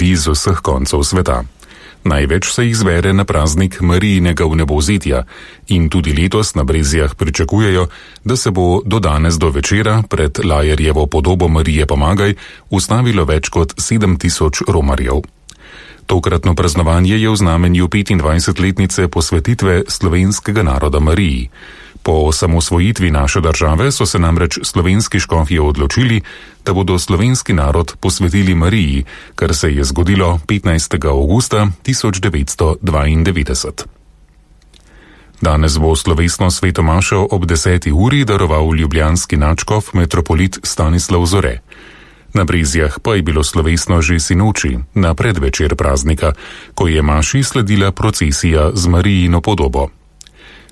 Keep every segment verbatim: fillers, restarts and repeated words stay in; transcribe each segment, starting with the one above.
iz vseh koncev sveta. Največ se jih zbere na praznik Marijinega vnebovzetja in tudi letos na Brezjah pričakujejo, da se bo do danes do večera pred Lajerjevo podobo Marije Pomagaj ustavilo več kot sedem tisoč romarjev. Tokratno praznovanje je v znamenju petindvajsetletnice posvetitve slovenskega naroda Mariji. Po osamosvojitvi naše države so se namreč slovenski škofje odločili, da bodo slovenski narod posvetili Mariji, kar se je zgodilo petnajstega avgusta tisoč devetsto dvaindevetdeset. Danes bo slovesno sveto mašo ob deseti uri daroval ljubljanski nadškof metropolit Stanislav Zore. Na Brezjah pa je bilo slovesno že sinoči, na predvečer praznika, ko je maši sledila procesija z Marijino podobo.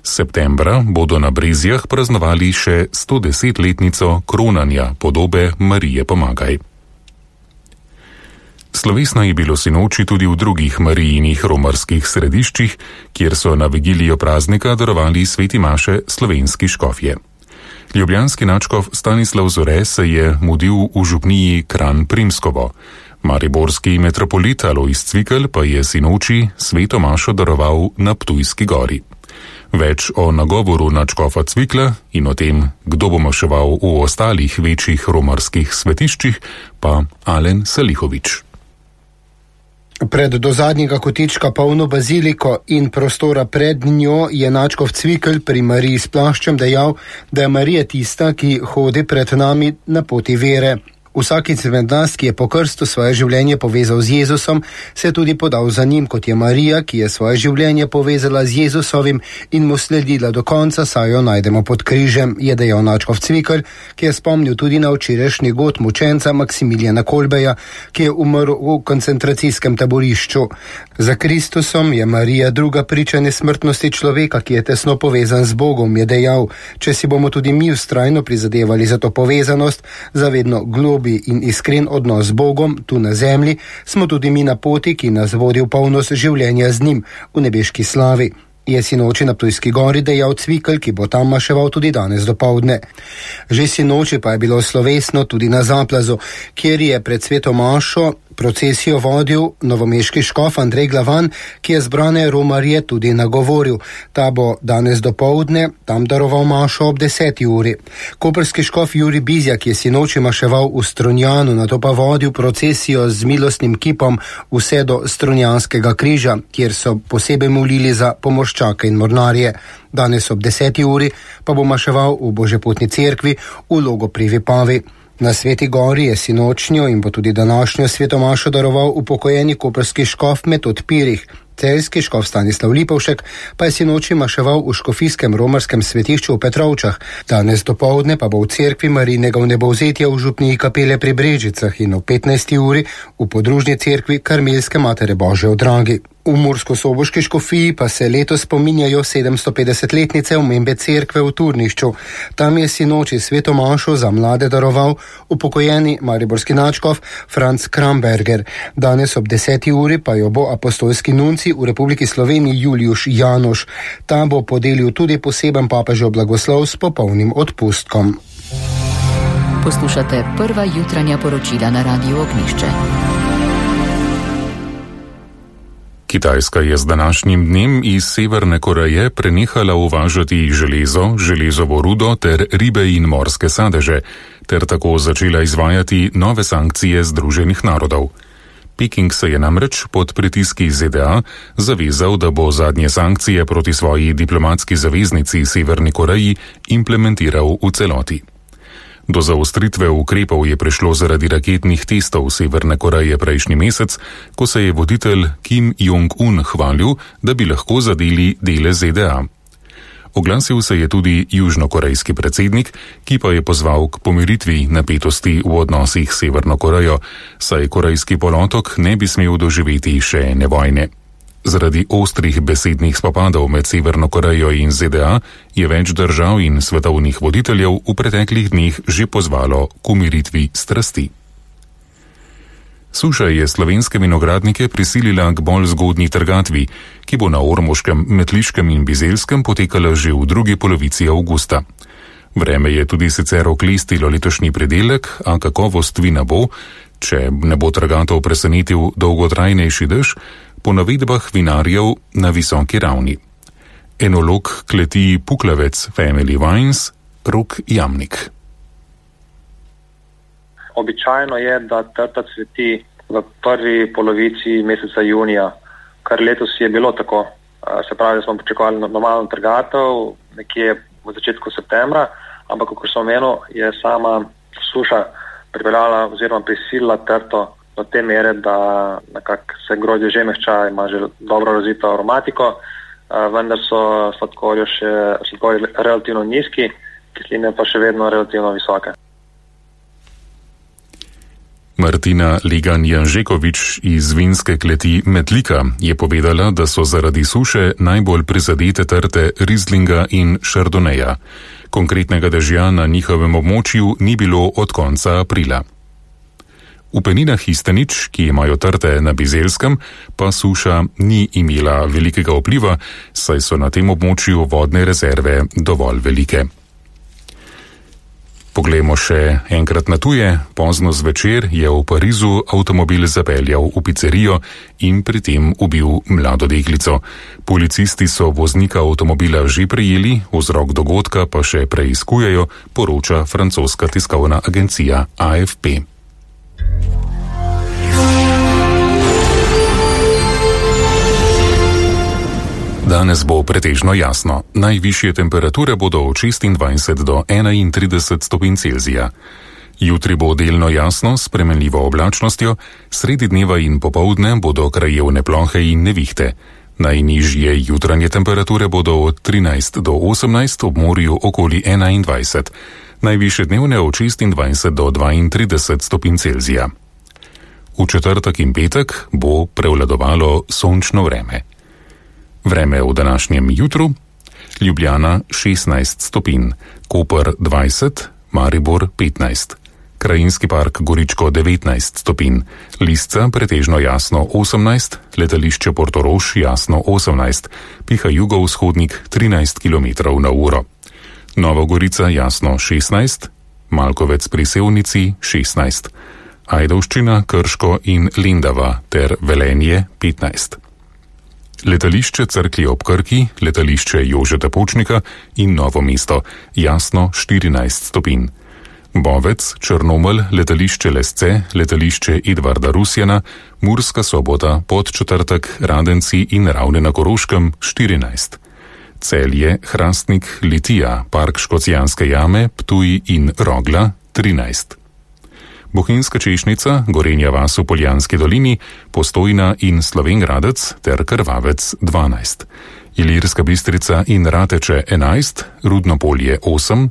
Septembra bodo na Brezjah praznovali še stodesetletnico kronanja podobe Marije Pomagaj. Slovesno je bilo sinoči tudi v drugih Marijinih romarskih središčih, kjer so na vigilijo praznika darovali sveti maše slovenski škofje. Ljubljanski nadškof Stanislav Zore se je mudil v župniji Kranj Primskovo. Mariborski metropolit Alojz Cvikl pa je sinoči sveto mašo daroval na Ptujski gori. Več o nagovoru nadškofa Cvikla in o tem, kdo bo maševal v ostalih večjih romarskih svetiščih, pa Alen Salihovič. Pred do zadnjega kotička polno baziliko in prostora pred njo je nadškof Cvikl pri Mariji s plaščem dejal, da je Marija tista, ki hodi pred nami na poti vere. Vsak izmed nas, ki je po krstu svoje življenje povezal z Jezusom, se je tudi podal za njim, kot je Marija, ki je svoje življenje povezala z Jezusovim in mu sledila do konca, saj jo najdemo pod križem, je dejal nadškof Cvikl, ki je spomnil tudi na včerajšnji god mučenca Maksimilijana Kolbeja, ki je umrl v koncentracijskem taborišču. Za Kristusom je Marija druga priča nesmrtnosti človeka, ki je tesno povezan z Bogom, je dejal. Če si bomo tudi mi vztrajno prizadevali za to povezanost, za vedno globi in iskren odnos z Bogom tu na zemlji, smo tudi mi na poti, ki nas vodi v polnost življenja z njim, v nebeški slavi. Je sinoči na Ptujski gori dejal Cvikl, ki bo tam maševal tudi danes dopoldne. Že sinoči pa je bilo slovesno tudi na Zaplazu, kjer je pred sveto mašo procesijo vodil novomeški škof Andrej Glavan, ki je zbrane romarje tudi nagovoril. Ta bo danes dopoldne tam daroval mašo ob deseti uri. Koprski škof Jurij Bizjak je sinoči maševal v Strunjanu, nato pa vodil procesijo z milostnim kipom vse do Strunjanskega križa, kjer so posebej molili za pomorščake in mornarje. Danes ob deseti uri pa bo maševal v Božepotni cerkvi v Logu pri Vipavi. Na Sveti gori je sinočnjo in bo tudi današnjo sveto mašo daroval upokojeni koprski škof Metod Pirih. Celjski škof Stanislav Lipovšek pa je sinoči maševal v škofijskem romarskem svetišču v Petrovčah. Danes dopoldne pa bo v cerkvi Marijinega vnebovzetja v župniji Kapele pri Brežicah in o petnajsti uri v podružni cerkvi Karmelske matere Božje v Dragi. V Mursko-Soboški škofiji pa se letos spominjajo sedemstopetdesetletnice omembe cerkve v Turnišču. Tam je sinoči sveto mašo za mlade daroval upokojeni mariborski nadškof Franc Kramberger. Danes ob deseti uri pa jo bo apostolski nunci v Republiki Sloveniji Juliuš Janoš. Ta bo podelil tudi poseben papežev blagoslov s popolnim odpustkom. Poslušate prva jutranja poročila na Radiu Ognjišče. Kitajska je z današnjim dnem iz Severne Koreje prenehala uvažati železo, železovo rudo ter ribe in morske sadeže, ter tako začela izvajati nove sankcije Združenih narodov. Peking se je namreč pod pritiski Z D A zavezal, da bo zadnje sankcije proti svoji diplomatski zaveznici Severni Koreji implementiral v celoti. Do zaostritve ukrepov je prišlo zaradi raketnih testov Severne Koreje prejšnji mesec, ko se je voditelj Kim Jong-un hvalil, da bi lahko zadeli dele Z D A. Oglasil se je tudi južnokorejski predsednik, ki pa je pozval k pomiritvi napetosti v odnosih s Severno Korejo, saj korejski polotok ne bi smel doživeti še ene vojne. Zaradi ostrih besednih spopadov med Severno Korejo in Z D A je več držav in svetovnih voditeljev v preteklih dneh že pozvalo k umiritvi strasti. Suša je slovenske vinogradnike prisilila k bolj zgodnji trgatvi, ki bo na Ormoškem, Metliškem in Bizelskem potekala že v drugi polovici avgusta. Vreme je tudi sicer oklestilo letošnji pridelek, a kakovost vina bo, če ne bo trgatov presenetil dolgotrajnejši dež, po navedbah vinarjev na visoki ravni. Enolog kleti Puklavec Family Wines Rok Jamnik. Običajno je, da trta cveti v prvi polovici meseca junija, kar letos je bilo tako. Se pravi, da smo pričakovali normalno trgatev nekje v začetku septembra, ampak kot sem omenil, je sama suša pripeljala oziroma prisilila trto do te mere, da nekako se grozdje že mehča, ima že dobro razvito aromatiko, vendar so sladkorji še sladkorji relativno nizki, kisline pa še vedno relativno visoke. Martina Legan-Janžekovič iz vinske kleti Metlika je povedala, da so zaradi suše najbolj prizadete trte Rieslinga in Chardonneja. Konkretnega dežja na njihovem območju ni bilo od konca aprila. V peninah Histenič, ki imajo trte na Bizelskem, pa suša ni imela velikega vpliva, saj so na tem območju vodne rezerve dovolj velike. Poglejmo še enkrat na tuje. Pozno zvečer je v Parizu avtomobil zapeljal v pizzerijo in pri tem ubil mlado deklico. Policisti so voznika avtomobila že prijeli, vzrok dogodka pa še preiskujejo, poroča francoska tiskovna agencija A F P. Danes bo pretežno jasno. Najvišje temperature bodo od šestindvajset do enaintrideset stopinj Celzija. Jutri bo delno jasno s spremenljivo oblačnostjo, sredi dneva in popoldne bodo krajevne plohe in nevihte. Najnižje jutranje temperature bodo od trinajst do osemnajst, ob morju okoli enaindvajset. Najvišje dnevne od šestindvajset do dvaintrideset stopinj Celzija. V četrtek in petek bo prevladovalo sončno vreme. Vreme v današnjem jutru: Ljubljana šestnajst stopinj, Koper dvajset, Maribor petnajst, Krajinski park Goričko devetnajst stopinj, Lisca pretežno jasno osemnajst, letališče Portorož jasno osemnajst, piha jugovzhodnik trinajst kilometrov na uro. Nova Gorica jasno šestnajst, Malkovec pri Sevnici šestnajst, Ajdovščina, Krško in Lendava ter Velenje petnajst. Letališče Cerklje ob Krki, letališče Jožeta Pučnika in Novo mesto jasno štirinajst stopinj. Bovec, Črnomelj, letališče Lesce, letališče Edvarda Rusjana, Murska Sobota, Podčetrtek, Radenci in Ravne na Koroškem štirinajst. Celje, Hrastnik, Litija, Park Škocjanske jame, Ptuj in Rogla trinajst. Bohinjska Češnica, Gorenja vas v Poljanski dolini, Postojna in Slovenj Gradec ter Krvavec dvanajst. Ilirska Bistrica in Rateče enajst, Rudno polje osem,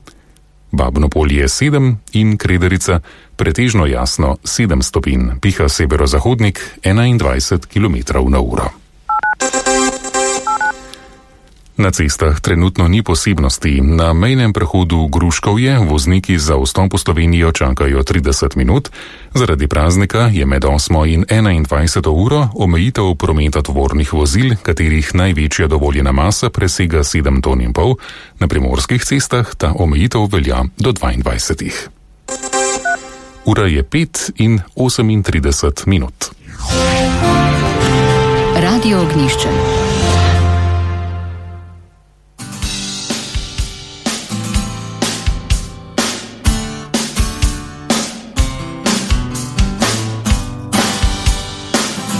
Babno polje sedem in Krederica pretežno jasno sedem stopinj, piha severozahodnik enaindvajset kilometrov na uro. Na cestah trenutno ni posebnosti. Na mejnem prehodu Gruškovje vozniki za vstop v Slovenijo čakajo trideset minut. Zaradi praznika je med osmo in enaindvajseto uro omejitev prometa tovornih vozil, katerih največja dovoljena masa presega sedem ton in pol. Na primorskih cestah ta omejitev velja do dvaindvajsetih. Ura je pet in osemintrideset minut. Radio Ognjišče.